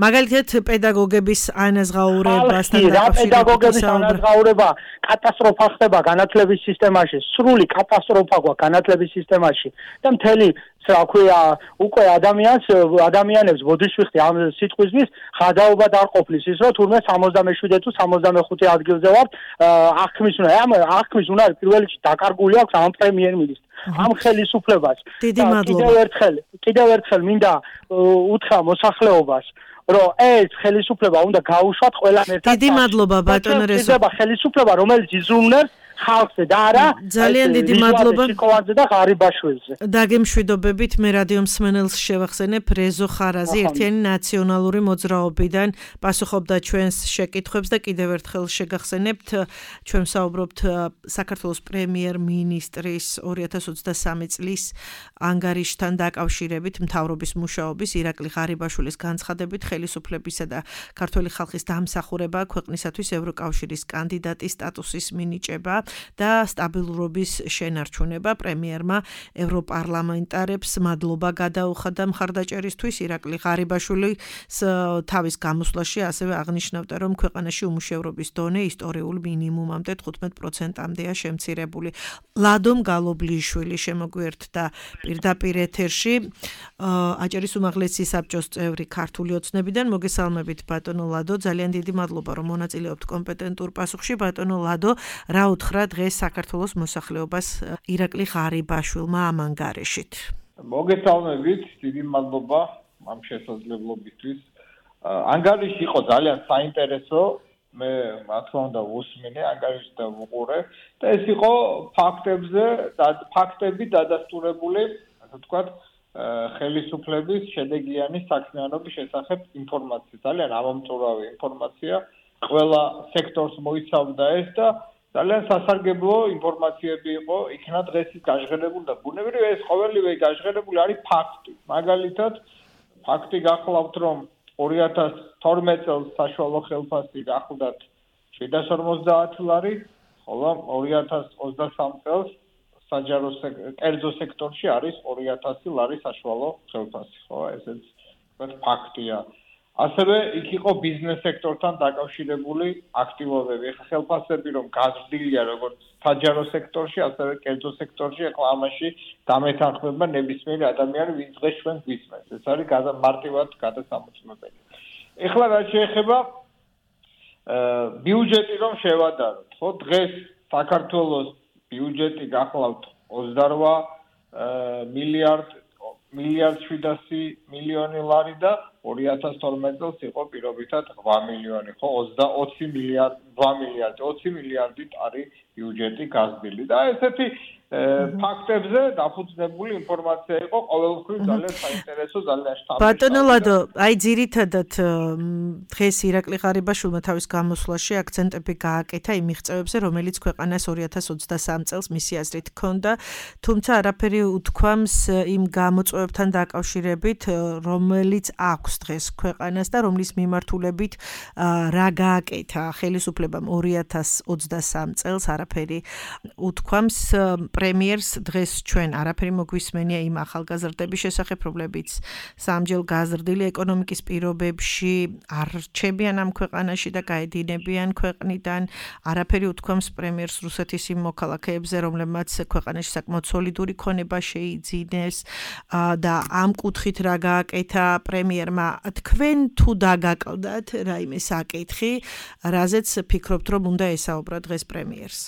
მაგალითად პედაგოგების ანაზღაურებასთან დაკავშირებით პედაგოგების ანაზღაურება კატასტროფა ხდება განათლების სისტემაში სრული კატასტროფა გვაქვს განათლების სისტემაში და მთელი რა ქვია უკვე ადამიანს ადამიანებს ბოდიშვიხტი ამ სიტყვისთვის ხადაობა არ ყოფნის ის რომ თურმე სამოცდამეშვიდე თუ სამოცდამეხუთე ადგილზე ვართ აღქმის უნდა ამ აღქმის უნდა პირველ რიგში დაკარგული აქვს ამ პრემიერ-მინისტრს ამ ხელისუფლებას კიდევ ერთხელ კიდევ ერთხელ მინდა უთხრა მოსახლეობას რომ ეს ხელისუფლება უნდა გაუშვათ ყველამ ერთად დიდი მადლობა ბატონო რეზო ეს ხელისუფლება რომელიც იზრუნებს ხალხზე და არა ძალიან დიდი მადლობა სიკოვანძე და ღარიბაშვილზე დაგემშვიდობებით მე რადიო მსმენელს შევახსენებ რეზო ხარაზი ერთიანი ნაციონალური მოძრაობიდან პასუხობდა ჩვენს შეკითხვებს და კიდევ ერთხელ შეგახსენებთ ჩვენ საუბრობთ საქართველოს პრემიერ-მინისტრის ორი ათას ოცდასამი წლის ანგარიშთან დაკავშირებით მთავრობის მუშაობის ირაკლი ღარიბაშვილის განცხადებით ხელისუფლებისა და ქართველი ხალხის დამსახურება ქვეყნისათვის ევროკავშირის კანდიდატის სტატუსის მინიჭება და სტაბილურობის შენარჩუნება პრემიერმა ევროპარლამენტარებს მადლობა გადაუხადა მხარდაჭერისთვის ირაკლი ღარიბაშვილის თავის გამოსვლაში ასევე აღნიშნავდა რომ ქვეყანაში უმუშევრობის დონე ისტორიულ მინიმუმამდე თხუთმეტ პროცენტამდეა შემცირებული ლადომ გალობლიშვილი შემოგვიერთდა პირდაპირ ეთერში აჭარის უმაღლესი საბჭოს წევრი ქართული ოცნებიდან მოგესალმებით ბატონო ლადო ძალიან დიდი მადლობა რომ მონაწილეობთ კომპეტენტურ პასუხში ბატონო ლადო რა უთხრა დღეს საქართველოს მოსახლეობას ირაკლი ღარიბაშვილმა ამ ანგარიშით. მოგესალმებით, დიდი მადლობა ამ შესაძლებლობისთვის. ანგარიში იყო ძალიან საინტერესო, მე რა თქმა უნდა ვუსმინე ანგარიშს და ვუყურე და ეს იყო ფაქტებზე და ფაქტები დადასტურებული, ასე ვთქვათ, ხელისუფლების შედეგიანი საქმიანობის შესახებ ინფორმაცია. ძალიან ამომწურავი ინფორმაცია, ყველა სექტორს მოიცავდა ეს და ძალიან სასარგებლო ინფორმაციები იყო, იქნა დღეს ის გაჟღერებული და ბუნებრივია ეს ყოველივე გაჟღერებული არის ფაქტი. მაგალითად, ფაქტი გახლავთ, რომ ორი ათას თორმეტ წელს საშუალო ხელფასი გახლდათ შვიდას ორმოცდაათი ლარი, ხოლო ორი ათას ოცდასამი წელს საჯარო კერძო სექტორში არის ორი ათასი ლარი საშუალო ხელფასი, ხო, ესეც ფაქტია. ასევე იქ იყო ბიზნეს სექტორთან დაკავშირებული აქტივობები. ეხლა ხელფასები რომ გაზრდილია როგორც საჯარო სექტორში, ასევე კერძო სექტორში, ეხლა ამაში დამეთანხმება ნებისმიერი ადამიანი, ვინც დღეს ჩვენ გვისმენს. ეს არის მარტივად გადასამოწმებელი. ეხლა რა შეეხება ბიუჯეტი რომ შევადაროთ, ხო, დღეს საქართველოს ბიუჯეტი გახლავთ ოცდარვა მილიარდ მილიარდ შვიდასი მილიონი ლარი და ორი ათას თორმეტ წელს იყო პირობითად რვა მილიონი, ხო, ოცი მილიარდი, რვა მილიარდი, ოცი მილიარდით არის ბიუჯეტი გაზრდილი და ესეთი ფაქტებზე დაფუძნებული ინფორმაცია იყო ყოველთვის ძალიან საინტერესო, ძალიან შთამბეჭდავი. ბატონო ლადო, აი ძირითადად დღეს ირაკლი ღარიბაშვილმა თავის გამოსვლაში აქცენტები გააკეთა იმ მიღწევებზე, რომელიც ქვეყანას ორი ათას ოცდასამი წელს მისი აზრით ჰქონდა, თუმცა არაფერი უთქვამს იმ გამოწვევებთან დაკავშირებით, რომელიც აქვს დღეს ქვეყანას და რომლის მიმართულებით რა გააკეთა ხელისუფლებამ ორი ათას ოცდასამი წელს არაფერი უთქვამს პრემიერს დღეს ჩვენ არაფერი მოგვისმენია იმ ახალგაზრდების შესახებ, რომლებიც სამჯერ გაზრდილი ეკონომიკის პირობებში არ რჩებიან ამ ქვეყანაში და გაედინებიან ქვეყნიდან. არაფერი უთქვამს პრემიერს რუსეთის იმ მოქალაქეებზე, რომლებმაც ქვეყანაში საკმაოდ სოლიდური ქონება შეიძინეს და ამ კუთხით რა გააკეთა პრემიერმა. თქვენ თუ დაგაკლდათ რაიმე საკითხი, რაზეც ფიქრობთ, რომ უნდა ესაუბრა დღეს პრემიერს?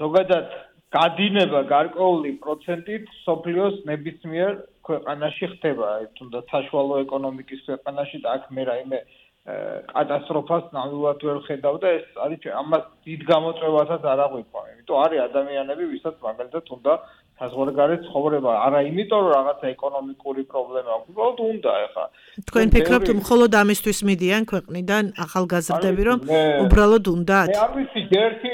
ზოგადად გადინება გარკვეული პროცენტით სოფლიოს ნებისმიერ ქვეყანაში ხდება, თუნდაც საშუალო ეკონომიკის ქვეყანაში და აქ მე რაიმე კატასტროფას ნამდვილად ვერ ხედავ და ეს არის ამას დიდ გამოწვევასაც არ აღვიქვამი. იმიტომ არის ადამიანები, ვისაც მაგალითად უნდა საზღვარგარეთ ცხოვრება, არა იმიტომ რომ რაღაცა ეკონომიკური პრობლემა აქვს, უბრალოდ უნდა ეხა. თქვენ ფიქრობთ მხოლოდ ამისთვის მიდიან ქვეყნიდან ახალგაზრდები, რომ უბრალოდ უნდათ? მე არ ვიცი, ერთი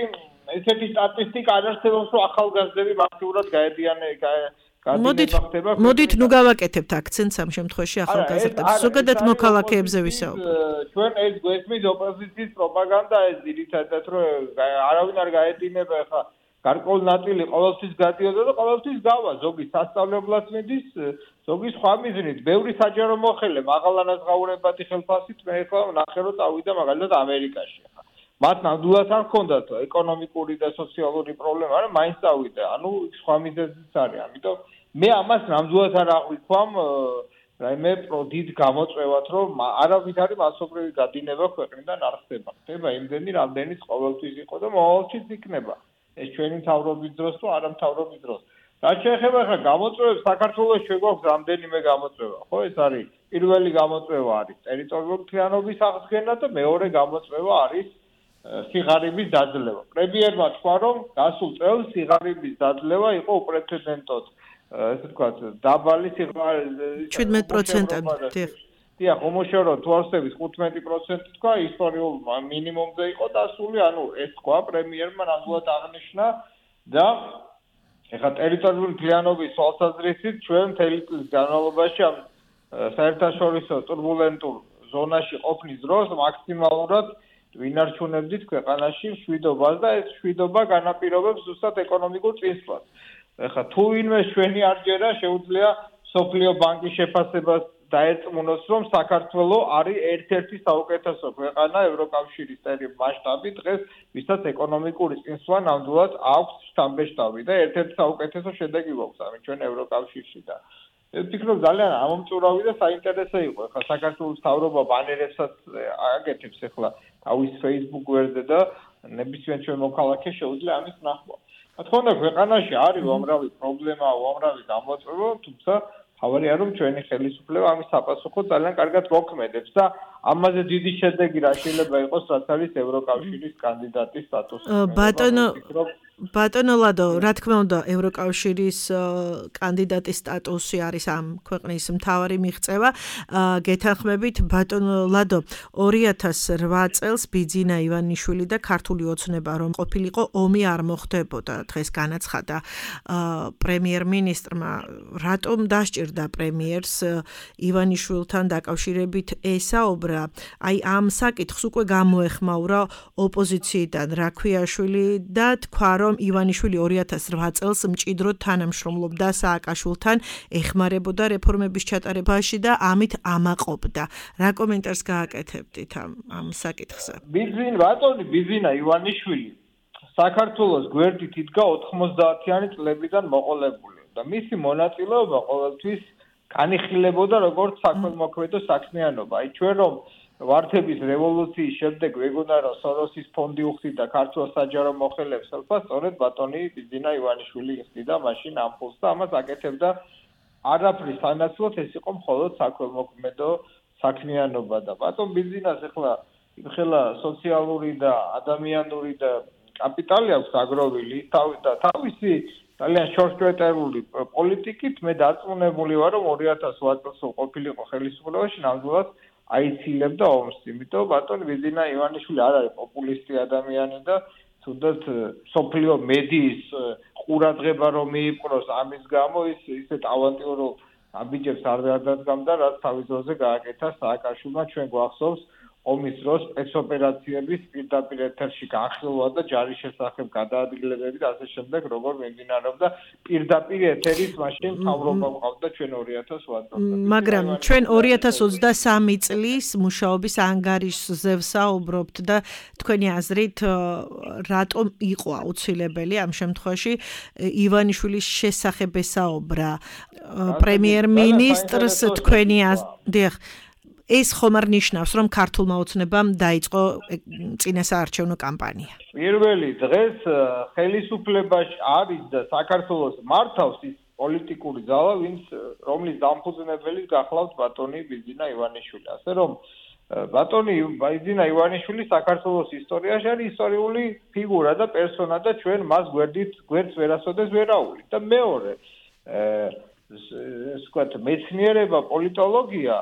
ესეთი სტატისტიკა არ არსებობს, რომ ახალგაზრდები მასიურად გაედიან მოდით მოდით ნუ გავაკეთებთ აქცენტს ამ შემთხვევაში ახალგაზრდებს. ზოგადად მოქალაქეებზე ვისაუბრებთ. ჩვენ ეს გვესმის ოპოზიციის პროპაგანდა ეს ძირითადად რომ არავინ არ გაედინება ეხა გარკვეული ნაწილი ყოველთვის გადიოდა და ყოველთვის გავა. ზოგი სასწავლებლად მიდის, ზოგი სხვა მიზნით. ბევრი საჯარო მოხელე მაღალანაზღაურებადი ხელფასით მე ეხლა ვნახე რომ წავიდა მაგალითად ამერიკაში. მათ ნამდვილად არ ჰქონდათ ეკონომიკური და სოციალური პრობლემა, არა მაინც წავიდა. ანუ სხვა მიზეზიც არის. ამიტომ მე ამას ნამდვილად არ აღვიქვამ რაიმე პროდით გამოწვევად, რომ არავითარი მასობრივი გადინება ქვეყნიდან არ ხდება. ხდება იმდენი, რამდენიც ყოველთვის იყო და მოვალშიც იქნება. ეს ჩვენი მთავრობის დროს თუ არა მთავრობის დროს. რაც შეეხება ხა გამოწვევებს საქართველოს შეგვაქვს რამდენიმე გამოწვევა, ხო? ეს არის პირველი გამოწვევა არის ტერიტორიული მთლიანობის აღდგენა და მეორე გამოწვევა არის სიღარიბის დაძლევა. პრემიერმა თქვა, რომ გასულ წელს სიღარიბის დაძლევა იყო უპრეცედენტოდ, ესე ვთქვათ, დაბალი სიღარიბის შვიდმეტ პროცენტად. დიახ, უმუშევრო თვალსების ხუთმეტი პროცენტი თქვა, ისტორიულ მინიმუმზე იყო დასული, ანუ ეს თქვა პრემიერმა ნამდვილად აღნიშნა და ეხლა ტერიტორიული მთლიანობის თვალსაზრისით ჩვენ მთელი წლის განმავლობაში ამ საერთაშორისო турბულენტურ ზონაში ყოფნის დროს მაქსიმალურად ვინარჩუნებდით ქვეყანაში მშვიდობას და ეს მშვიდობა განაპირობებს ზუსტად ეკონომიკურ წინსვლას. ეხლა თუ ვინმე ჩვენი არ ჯერა, შეუძლია სოფლიო ბანკის შეფასებას დაერწმუნოს, რომ საქართველო არის ერთ-ერთი საუკეთესო ქვეყანა ევროკავშირის მასშტაბით დღეს, ვისაც ეკონომიკური წინსვლა ნამდვილად აქვს შთამბეჭდავი და ერთ-ერთი საუკეთესო შედეგი გვაქვს ამით ჩვენ ევროკავშირში და ეს ფიქრობ ძალიან ამომწურავი და საინტერესო იყო. ეხლა საქართველოს მთავრობა ბანერებსაც აკეთებს ეხლა თავის Facebook გვერდზე და ნებისმიერ ჩვენ მოქალაქე შეუძლია ამის ნახვა. რა თქმა უნდა, ქვეყანაში არის უამრავი პრობლემა, უამრავი გამოწვევა, თუმცა თავარია რომ ჩვენი ხელისუფლება ამის საპასუხოდ ძალიან კარგად მოქმედებს და ამაზე დიდი შედეგი რა შეიძლება იყოს, რაც არის ევროკავშირის კანდიდატის სტატუსი. ბატონო ბატონო ლადო, რა თქმა უნდა, ევროკავშირის კანდიდატის სტატუსი არის ამ ქვეყნის მთავარი მიღწევა. გეთანხმებით, ბატონო ლადო, ორი ათას რვა წელს ბიძინა ივანიშვილი და ქართული ოცნება რომ ყოფილიყო, ომი არ მოხდებოდა. დღეს განაცხადა პრემიერ-მინისტრმა, რატომ დასჭირდა პრემიერს ივანიშვილთან დაკავშირებით ესაუბრა. აი ამ საკითხს უკვე გამოეხმაურა ოპოზიციიდან რაქვიაშვილი და თქვა რომ ივანიშვილი ორი ათას რვა წელს მჭიდროდ თანამშრომლობდა სააკაშვილთან, ეხმარებოდა რეფორმების ჩატარებაში და ამით ამაყობდა. რა კომენტარს გააკეთებდით ამ ამ საკითხზე? ბიძინა, ბატონი ბიძინა ივანიშვილი საქართველოს გვერდით იდგა ოთხმოცდაათიანი წლებიდან მოყოლებული და მისი მონაწილეობა ყოველთვის განიხილებოდა როგორც საქველმოქმედო საქმიანობა. აი ჩვენ რომ ვართების რევოლუციის შემდეგ ვეგონა რომ სოროსის ფონდი უხდიდა ქართულ საჯარო მოხელეებს, სწორედ ბატონი ბიძინა ივანიშვილი იხდიდა მაშინ ამ ფულს და ამას აკეთებდა არაფრის სანაცვლოდ, ეს იყო მხოლოდ საქველმოქმედო საქმიანობა და ბატონ ბიძინას ეხლა იმხელა სოციალური და ადამიანური და კაპიტალი აქვს აგროვილი და თავისი ძალიან შორტკვეტერული პოლიტიკით მე დარწმუნებული ვარ რომ ორი ათას რვა წელს ყოფილიყო ხელისუფლებაში ნამდვილად აიცილებდა ომს, იმიტომ ბატონ ბიძინა ივანიშვილი არ არის პოპულისტი ადამიანი და თუნდაც სოფლიო მედიის ყურადღება რომ მიიპყროს ამის გამო ის ისეთ ავანტიურულ ამბიჯებს არ დადგამდა, რაც თავის დროზე გააკეთა სააკაშვილმა. ჩვენ გვახსოვს ომის დროს სპეცოპერაციების პირდაპირ ეთერში განხილვა და ჯარის შესახებ გადაადგილებები და ასე შემდეგ, როგორ მიმდინარეობდა პირდაპირ ეთერის მაშინ მთავრობა ყავდა ჩვენ ორი ათას რვა წელს. მაგრამ ჩვენ ორი ათას ოცდასამი წლის მუშაობის ანგარიშზე ვსაუბრობთ და თქვენი აზრით რატომ იყო აუცილებელი ამ შემთხვევაში ივანიშვილის შესახებ ესაუბრა პრემიერ-მინისტრს თქვენი აზრით? ეს ხომ არ ნიშნავს, რომ ქართულმა ოცნებამ დაიწყო წინასაარჩევნო კამპანია. პირველი დღეს ხელისუფლებაში არის და საქართველოს მართავს ის პოლიტიკური ძალა, ვინც რომლის დამფუძნებელიც გახლავთ ბატონი ბიძინა ივანიშვილი. ასე რომ ბატონი ბიძინა ივანიშვილი საქართველოს ისტორიაში არის ისტორიული ფიგურა და პერსონა და ჩვენ მას გვერდით გვერდს ვერასოდეს ვერაუვლით. და მეორე, ეს ვთქვათ, მეცნიერება, პოლიტოლოგია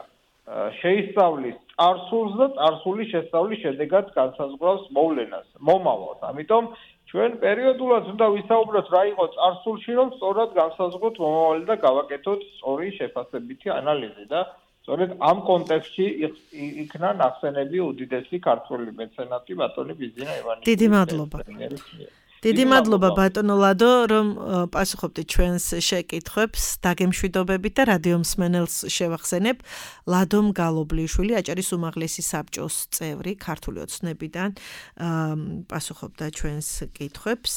შეისწავლის წარსულს და წარსულის შესწავლის შედეგად განსაზღვრავს მოვლენას, მომავალს. ამიტომ ჩვენ პერიოდულად უნდა ვისაუბროთ რა იყო წარსულში, რომ სწორად განსაზღვროთ მომავალი და გავაკეთოთ სწორი შეფასებითი ანალიზი და სწორედ ამ კონტექსტში იქნა ნახსენები უდიდესი ქართველი მეცენატი ბატონი ბიძინა ივანიშვილის. დიდი მადლობა. დიდი მადლობა ბატონო ლადო, რომ პასუხობდით ჩვენს შეკითხვებს, დაგემშვიდობებით და რადიო მსმენელს შევახსენებ, ლადომ გალობლიშვილი, აჭარის უმაღლესი საბჭოს წევრი, ქართული ოცნებიდან პასუხობდა ჩვენს კითხვებს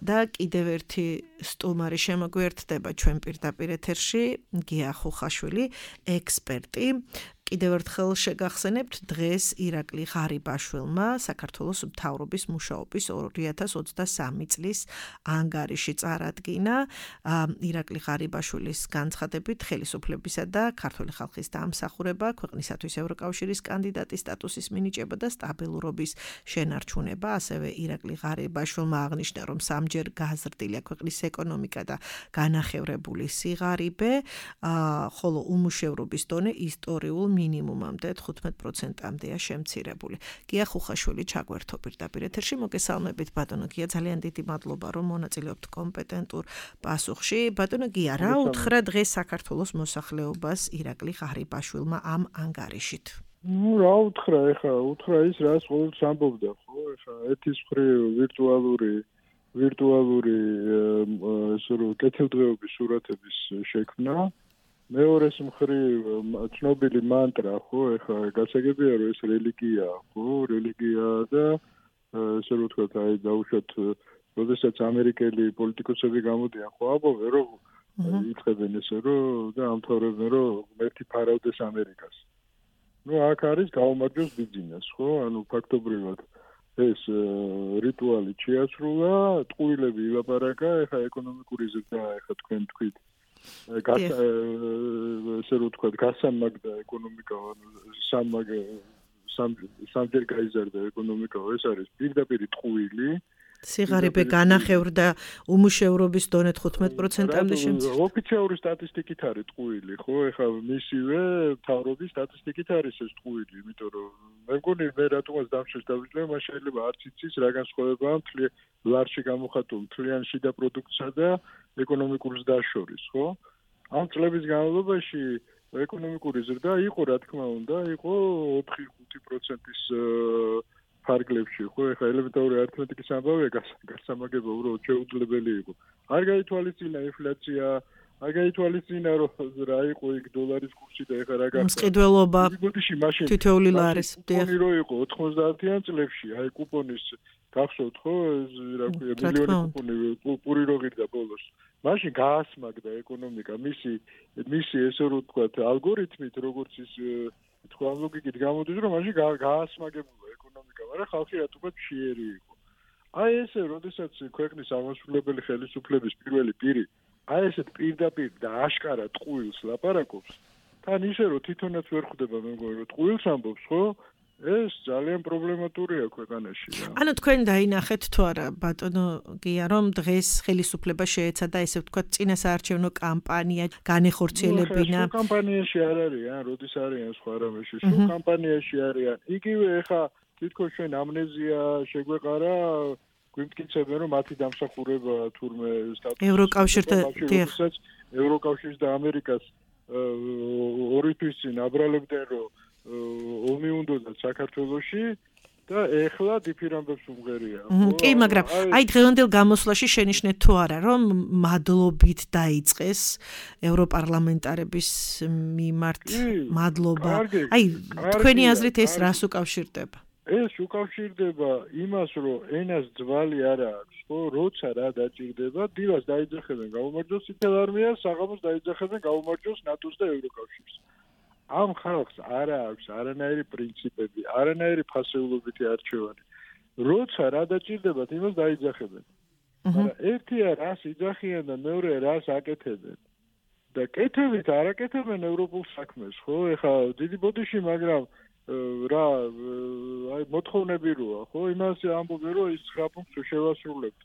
და კიდევ ერთი სტუმარი შემოგვიერთდება ჩვენ პირდაპირ ეთერში, გია ხუხაშვილი, ექსპერტი. კიდევ ერთხელ შეგახსენებთ, დღეს ირაკლი ღარიბაშვილმა საქართველოს მთავრობის მუშაობის ორი ათას ოცდასამი წლის ანგარიში წარადგინა. ირაკლი ღარიბაშვილის განცხადებით, ხელისუფლებისა და ქართული ხალხის დამსახურება, ქვეყნისათვის ევროკავშირის კანდიდატის სტატუსის მინიჭება და სტაბილურობის შენარჩუნება. ასევე ირაკლი ღარიბაშვილმა აღნიშნა, რომ სამჯერ გაზრდილია ქვეყნის ეკონომიკა და განახევრებული სიღარიბე, ხოლო უმუშევრობის დონე ისტორიულ მინიმუმამდე თხუთმეტ პროცენტამდეა შემცირებული. გია ხუხაშვილი ჩაგვერთო პირდაპირ ეთერში. მოგესალმებით ბატონო გია, ძალიან დიდი მადლობა რომ მონაწილეობთ კომპეტენტურ პასუხში. ბატონო გია, რა უთხრა დღეს საქართველოს მოსახლეობას ირაკლი ღარიბაშვილმა ამ ანგარიშით? ნუ რა უთხრა, ეხა უთხრა ის რაც ყოველთვის ამბობდა, ხო? ეხა ეთის მხრივ ვირტუალური ვირტუალური ესე რომ კეთილდღეობის სურათების შექმნა. მეორეს მხრივ ცნობილი მანტრა, ხო, ეხლა გასაგებია რომ ეს რელიგიაა, ხო, რელიგიაა და ესე რომ ვთქვათ, აი დაუშვათ, როდესაც ამერიკელი პოლიტიკოსები გამოდიან, ხო, ამბობენ რომ ითხრებენ ესე რომ და ამთავრებენ რომ ღმერთი ფარავდეს ამერიკას. ნუ აქ არის გაუმარჯოს ბიძინას, ხო, ანუ ფაქტობრივად ეს რიტუალი შეასრულა, ტყუილები ილაპარაკა, ეხლა ეკონომიკური ზრდა, ეხლა თქვენ თქვით ესე რომ ვთქვათ, გასამაგდა ეკონომიკა, სამაგ სამჯერ გაიზარდა ეკონომიკა, ეს არის პირდაპირ ტყუილი. სიღარიბე განახევრდა უმუშევრობის დონე თხუთმეტ პროცენტამდე შემცირდა. ოფიციალური სტატისტიკით არის ტყუილი, ხო? ეხლა მისივე მთავრობის სტატისტიკით არის ეს ტყუილი, იმიტომ რომ მე მგონი მე რატომაც დამშეს დავიწყე, მას შეიძლება არც იცის რა განსხვავებაა მთლიან ლარში გამოხატულ მთლიან შიდა პროდუქტსა და ეკონომიკურ ზრდას შორის, ხო? ამ წლების განმავლობაში ეკონომიკური ზრდა იყო, რა თქმა უნდა, იყო ოთხი ხუთი პროცენტის ფარგლებში, ხო? ეხლა ელემენტარული არითმეტიკის ამბავია გასამაგება უბრალოდ შეუძლებელი იყო. არ გაითვალისწინა ინფლაცია, არ გაითვალისწინა რომ რა იყო იქ დოლარის კურსი და ეხლა რა გახდა. მსყიდველობა. თითოეული ლარის. კუპონი რო იყო ოთხმოცდაათიან წლებში, აი კუპონის გახსოვთ, ხო? რა ქვია, მილიონი კუპონი პური რო ღირდა ბოლოს. მაშინ გაასმაგდა ეკონომიკა, მისი მისი ესე რომ ვთქვათ, ალგორითმით, როგორც ის თქვა ლოგიკით გამოდის, რომ მაშინ გაასმაგებულა ეკონომიკა, მაგრამ ხალხი რატომაც მშიერი იყო. აი ესე, როდესაც ქვეყნის აღმასრულებელი ხელისუფლების პირველი პირი აი ესეთ პირდაპირ და აშკარა ტყუილს ლაპარაკობს, თან ისე რომ თვითონაც ვერ ხვდება, მე მგონი რომ ტყუილს ამბობს, ხო? ეს ძალიან პრობლემატურია ქვეყანაში. ანუ თქვენ დაინახეთ თუ არა ბატონო გია, რომ დღეს ხელისუფლება შეეცადა ესე ვთქვათ წინასაარჩევნო კამპანია განეხორციელებინა. სულ კამპანიაში არ არიან, როდის არიან სხვა რამეში, სულ კამპანიაში არიან. იგივე ეხა თითქოს ჩვენ ამნეზია შეგვეყარა, გვიმტკიცებენ რომ მათი დამსახურება თურმე სტატუსი ევროკავშირთან დიახ. ევროკავშირს და ამერიკას ორი თვის წინ აბრალებდნენ რომ ომი უნდათ საქართველოში და ეხლა დიფირამბებს უმღერია. კი, მაგრამ აი დღევანდელ გამოსვლაში შენიშნეთ თუ არა, რომ მადლობით დაიწყეს ევროპარლამენტარების მიმართ მადლობა. აი თქვენი აზრით ეს რას უკავშირდება? ეს უკავშირდება იმას, რომ ენას ძვალი არ აქვს, ხო, როცა რა დაჭირდება, დილას დაიძახებენ გაუმარჯოს წითელ არმიას, საღამოს დაიძახებენ გაუმარჯოს ნატოს და ევროკავშირს. ამ ხალხს არ აქვს არანაირი პრინციპები, არანაირი ფასეულობითი არჩევანი. როცა რა დაჭირდებათ, იმას დაიძახებენ. მაგრამ ერთია რას იძახიან და მეორე რას აკეთებენ. და კეთებით არაკეთებენ ევროპულ საქმეს, ხო? ეხლა დიდი ბოდიში, მაგრამ რა აი მოთხოვნები როა, ხო? იმას ამბობენ, რომ ის ცხრა პუნქტს შევასრულებთ.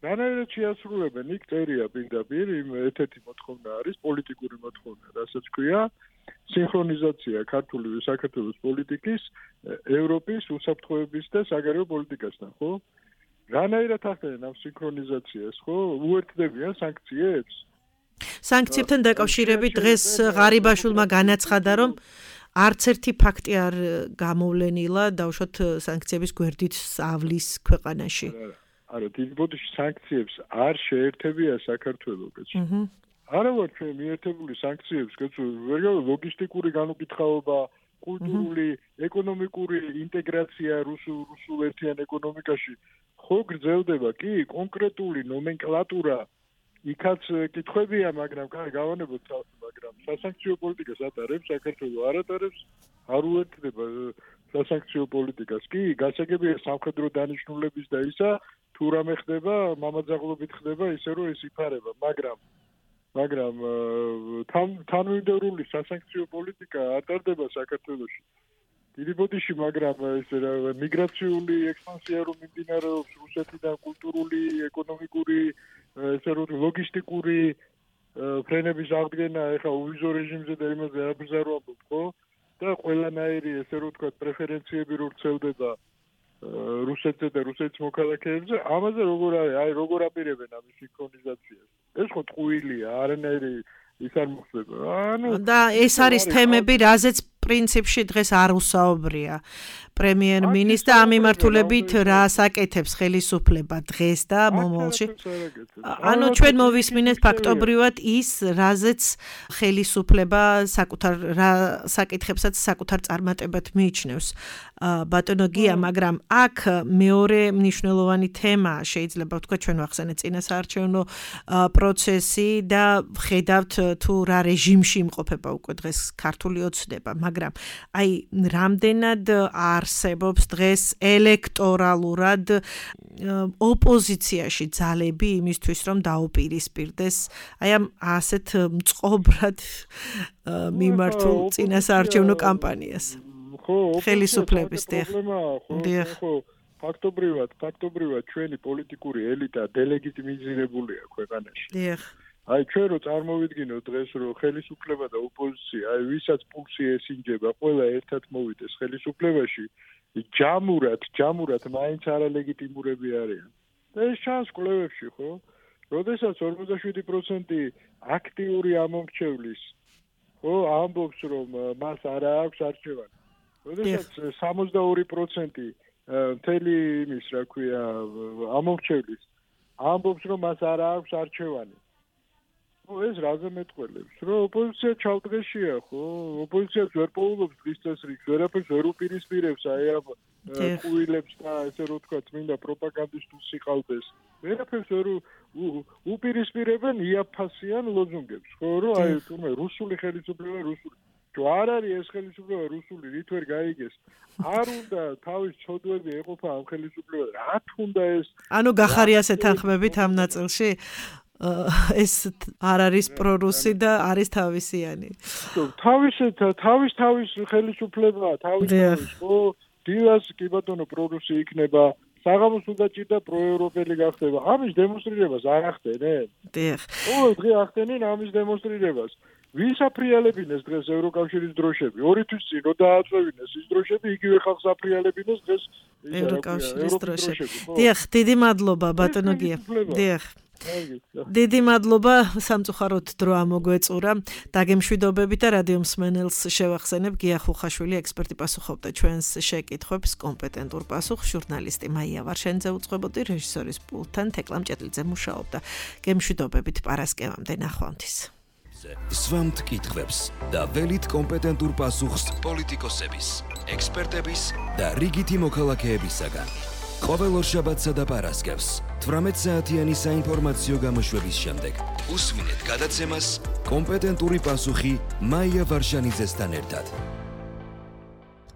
რანაირად შეასრულებენ, იქ წერია პირდაპირ, იმ ერთ-ერთი მოთხოვნა არის პოლიტიკური მოთხოვნა, რასაც ქვია სინქრონიზაცია ქართული საქართველოს პოლიტიკის, ევროპის უსაფრთხოების და საგარეო პოლიტიკასთან, ხო? რანაირად ახდენენ ამ სინქრონიზაციას, ხო? უერთდებიან სანქციებს? სანქციებთან დაკავშირებით დღეს ღარიბაშვილმა განაცხადა, რომ არც ერთი ფაქტი არ გამოვლენილა დავუშვათ სანქციების გვერდით ავლის ქვეყანაში. არა, დიდი ბოდიში სანქციებს არ შეერთებია საქართველოს, კაცო. არა ვარ ჩვენ მიერთებული სანქციებს, კაცო, ლოგისტიკური განუკითხაობა, კულტურული, ეკონომიკური ინტეგრაცია რუსულ რუსულ ერთიან ეკონომიკაში ხო გრძელდება, კი, კონკრეტული ნომენკლატურა იქაც კითხვებია, მაგრამ კაი, გავანებოთ თავს, მაგრამ სასანქციო პოლიტიკას ატარებს საქართველოს, არ ატარებს, არ უერთდება სასანქციო პოლიტიკას. კი, გასაგებია სამხედრო დანიშნულების და ისა, თუ რამე ხდება, მამაძაღლობით ხდება, ისე რომ ეს იფარება, მაგრამ მაგრამ თანმიმდევრული სასანქციო პოლიტიკა ატარდება საქართველოში. დიდი ბოდიში, მაგრამ ეს მიგრაციული ექსპანსია რომ მიმდინარეობს რუსეთიდან კულტურული, ეკონომიკური, ესე რომ ლოგისტიკური ფრენების აღდგენა, ეხლა უვიზო რეჟიმზე და იმაზე არაფერს არ ვამბობ, ხო? და ყველანაირი ესე რომ თქვა პრეფერენციები რო ვრცელდება რუსეთზე და რუსეთის მოქალაქეებზე, ამაზე როგორ არის, აი როგორ აპირებენ ამის სინქრონიზაციას? ეს ხო ტყუილია, არანაირი ის არ მოხდება. ანუ და ეს არის თემები, რაზეც პრინციპში დღეს არ უსაუბრია პრემიერ-მინისტრს და ამ მიმართულებით რა საკეთებს ხელისუფლება დღეს და მომავალში. ანუ ჩვენ მოვისმინეთ ფაქტობრივად ის, რაზეც ხელისუფლება საკუთარ რა საკითხებსაც საკუთარ წარმატებად მიიჩნევს. ბატონო გია, მაგრამ აქ მეორე მნიშვნელოვანი თემა შეიძლება ვთქვა, ჩვენ ვახსენეთ წინასაარჩევნო პროცესი და ხედავთ თუ რა რეჟიმში იმყოფება უკვე დღეს ქართული ოცნება, მაგრამ აი რამდენად არსებობს დღეს ელექტორალურად ოპოზიციაში ძალები იმისთვის, რომ დაუპირისპირდეს აი ამ ასეთ მწყობრად მიმართულ წინასაარჩევნო კამპანიას. ხო, ხელისუფლების დიახ. ხო, ფაქტობრივად, ფაქტობრივად ჩვენი პოლიტიკური ელიტა დელეგიტიმიზირებულია ქვეყანაში. დიახ. აი ჩვენ რო წარმოვიდგინოთ დღეს რომ ხელისუფლება და ოპოზიცია, აი ვისაც პულსი ესინჯება, ყველა ერთად მოვიდეს ხელისუფლებაში, ჯამურად, ჯამურად მაინც არალეგიტიმურები არიან. და ეს ჩანს კვლევებში, ხო? როდესაც ორმოცდაშვიდი პროცენტი აქტიური ამომრჩევლის, ხო, ამბობს რომ მას არ აქვს არჩევანი. როდესაც სამოცდაორი პროცენტი მთელი იმის, რა ქვია, ამომრჩევლის ამბობს რომ მას არ აქვს არჩევანი. ხო, ეს რაზე მეტყველებს, რომ ოპოზიცია ჩავდღეშია, ხო? ოპოზიციაც ვერ პოულობს დღის წესრიგს, ვერაფერს ვერ უპირისპირებს აი ამ ყუილებს და ესე რომ თქვა წმინდა პროპაგანდისტულ სიყალბეს. ვერაფერს ვერ უპირისპირებენ იაფასიან ლოზუნგებს, ხო, რომ აი თუმე რუსული ხელისუფლება, რუსული თუ არ არის ეს ხელისუფლება რუსული, რით ვერ გაიგეს. არ უნდა თავის ცოდვები ეყოფა ამ ხელისუფლებაზე. რა თუნდა ეს? ანუ გახარიას ეთანხმებით ამ ნაწილში? ეს არ არის პრორუსი და არის თავისიანი. თავის თავის თავის ხელისუფლება, თავის თავის, ხო? დილას კი ბატონო პრორუსი იქნება, საღამოს უნდა ჭირდა პროევროპელი გახდება. ამის დემონსტრირებას არ ახდენენ? დიახ. ო, დღე ახდენენ ამის დემონსტრირებას. ვის აფრიალებინეს დღეს ევროკავშირის დროშები? ორი თვის წინ რო დააწევინეს ის დროშები, იგივე ხალხს აფრიალებინეს დღეს ევროკავშირის დროშები. დიახ, დიდი მადლობა ბატონო გია. დიახ. დიდი მადლობა, სამწუხაროდ დრო ამოგვეწურა. დაგემშვიდობებით და რადიო მსმენელს შევახსენებ, გია ხუხაშვილი ექსპერტი პასუხობდა ჩვენს შეკითხვებს, კომპეტენტურ პასუხს ჟურნალისტი მაია ვარშენიძე უწყებოდი, რეჟისორის პულტთან თეკლა მჭედლიძე მუშაობდა. გემშვიდობებით პარასკევამდე ნახვამდის. სვამთ კითხვებს და ველით კომპეტენტურ პასუხს პოლიტიკოსების, ექსპერტების და რიგითი მოქალაქეებისაგან. ყოველ ორშაბათსა და პარასკევს თვრამეტ საათიანი საინფორმაციო გამოშვების შემდეგ უსმინეთ გადაცემას კომპეტენტური პასუხი მაია ვარშანიძესთან ერთად.